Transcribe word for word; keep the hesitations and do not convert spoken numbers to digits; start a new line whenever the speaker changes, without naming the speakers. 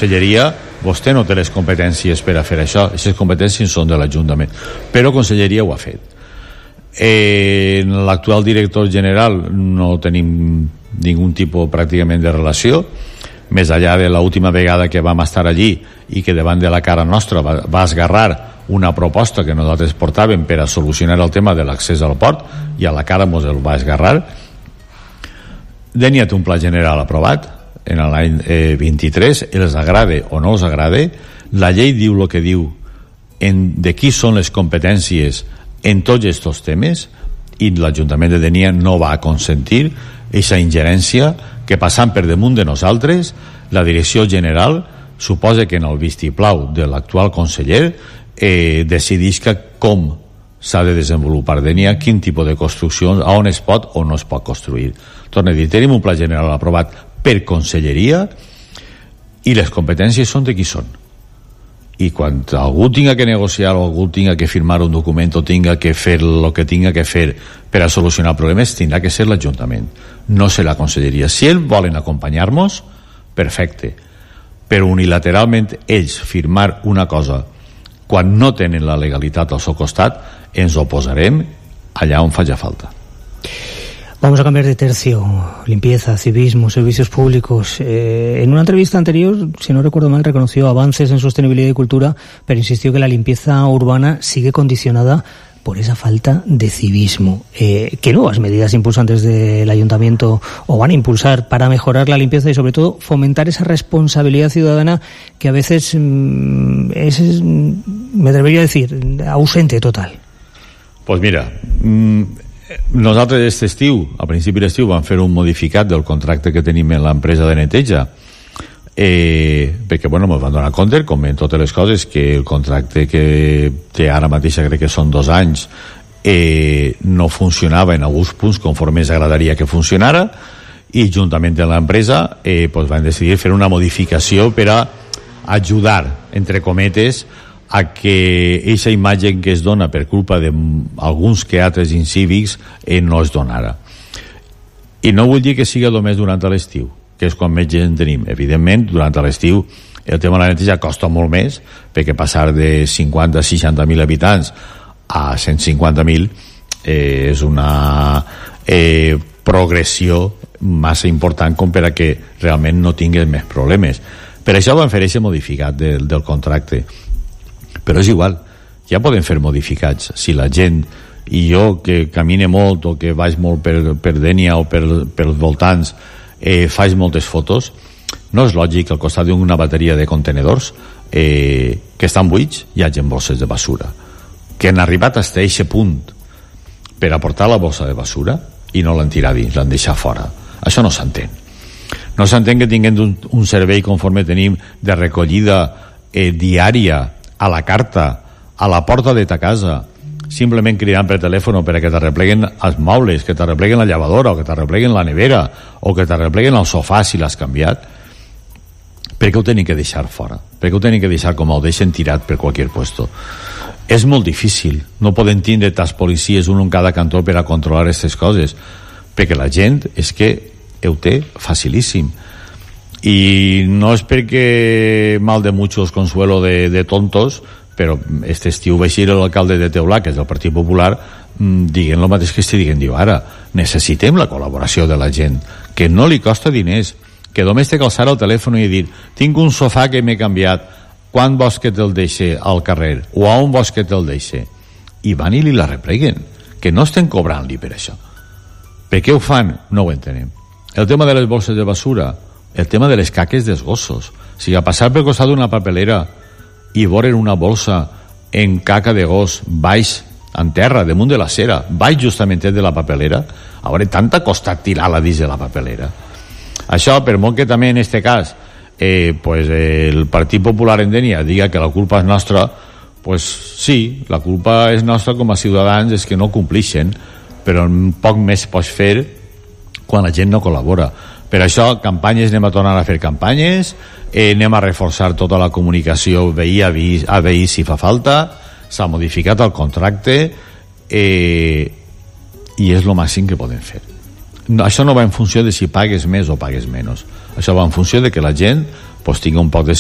conselleria vostè no té les competències per a fer això, aquestes competències són de l'Ajuntament, però conselleria ho ha fet. Eh, l'actual director general no tenim ningú tipus pràcticament de relació, més allà de l'última vegada que vam estar allí i que davant de la cara nostra va, va esgarrar una proposta que nosaltres portàvem per a solucionar el tema de l'accés al port, i a la cara mos el va esgarrar. Dènia té un pla general aprovat en l'any eh, vint-i-tres, els agrade o no els agrade, la llei diu el que diu en, de qui són les competències en tots aquests temes, i l'Ajuntament de Dénia no va consentir aquesta ingerència que, passant per damunt de nosaltres, la direcció general suposa que en el vistiplau de l'actual conseller eh, decidisca com s'ha de desenvolupar Dénia, quin tipus de construccions, on es pot o no es pot construir. Torno a dir, tenim un pla general aprovat per conselleria i les competències són de qui són. I quan algú tinga que negociar o algú tinga que firmar un document o tinga que fer el que tinga que fer per a solucionar problemes, tindrà que ser l'Ajuntament, no ser la conselleria. Si ells volen acompanyar-nos, perfecte, però unilateralment ells firmar una cosa quan no tenen la legalitat al seu costat, ens oposarem allà on faci falta.
Vamos a cambiar de tercio. Limpieza, civismo, servicios públicos. Eh, en una entrevista anterior, si no recuerdo mal, reconoció avances en sostenibilidad y cultura, pero insistió que la limpieza urbana sigue condicionada por esa falta de civismo. Eh, ¿Qué nuevas medidas impulsan desde el Ayuntamiento o van a impulsar para mejorar la limpieza y, sobre todo, fomentar esa responsabilidad ciudadana que a veces mmm, es, me atrevería a decir, ausente total?
Pues mira... Mmm... Nosaltres aquest estiu, a principi d'estiu, vam fer un modificat del contracte que tenim en l'empresa de neteja, eh, perquè bueno, ens vam donar compte, com en totes les coses, que el contracte que té ara mateix, crec que són dos anys, eh, no funcionava en alguns punts conforme ens agradaria que funcionara, i juntament amb l'empresa eh, pues van decidir fer una modificació per a ajudar, entre cometes, a que aquesta imatge que es dona per culpa d'alguns teatres incívics eh, no es donara. I no vull dir que sigui només durant l'estiu, que és quan més gent tenim. Evidentment, durant l'estiu el tema de la neteja costa molt més, perquè passar de cinquanta a seixanta mil habitants a cent cinquanta mil eh, és una eh, progressió massa important com per a que realment no tinguin més problemes. Per això van fer aquest modificat del, del contracte. Però és igual, ja poden fer modificats. Si la gent, i jo que camine molt o que vaig molt per, per Dénia o per, per els voltants, eh, faig moltes fotos, no és lògic que al costat d'una bateria de contenedors eh, que estan buits hi hagi bosses de basura, que han arribat a aquest punt per aportar la bossa de basura i no l'han tirat dins, l'han deixat fora. Això no s'entén. No s'entén que tinguem un, un servei conforme tenim de recollida eh, diària a la carta, a la porta de ta casa, simplement cridant per telèfon per a que t'arrepleguen els mobles, que t'arrepleguen la llevadora, o que t'arrepleguen la nevera, o que t'arrepleguen el sofà si l'has canviat. Per què ho tenen que deixar fora? Per què ho tenen que deixar com ho deixen tirat per qualsevol puesto? És molt difícil. No poden tindre tas policies, un en cada cantó, per a controlar aquestes coses, perquè la gent és que ho té facilíssim. Y no es perquè mal de muchos consuelo de, de tontos, però este estiu va ser l'alcalde de Teulà, que és del Partit Popular, dient el mateix que estic dient, diu, ara necessitem la col·laboració de la gent, que no li costa diners, que només té que alçar el telèfon i dir, tinc un sofà que m'he canviat, quan vols que te'l deixe al carrer, o a on vols que te'l deixe, i van i li la repleguen, que no estem cobrant-li per això. Per què ho fan? No ho entenem. El tema de les bolses de basura, el tema de les caques dels gossos, o sigui, a passar per costat d'una papelera i veure una bolsa en caca de gos baix, en terra, damunt de la cera, baix justament de la papelera, a veure, tanta costa tirar-la dins de la papelera. Això, per molt que també en este cas eh, pues, eh, el Partit Popular en Dénia diga que la culpa és nostra, pues sí, la culpa és nostra com a ciutadans, és que no complixen, però un poc més pots fer quan la gent no col·labora. Per això, campanyes, anem a tornar a fer campanyes, eh, anem a reforçar tota la comunicació veí a veí, a veí si fa falta, s'ha modificat el contracte, eh, i és el màxim que podem fer. No, això no va en funció de si pagues més o pagues menys. Això va en funció de que la gent pues, tingui un poc de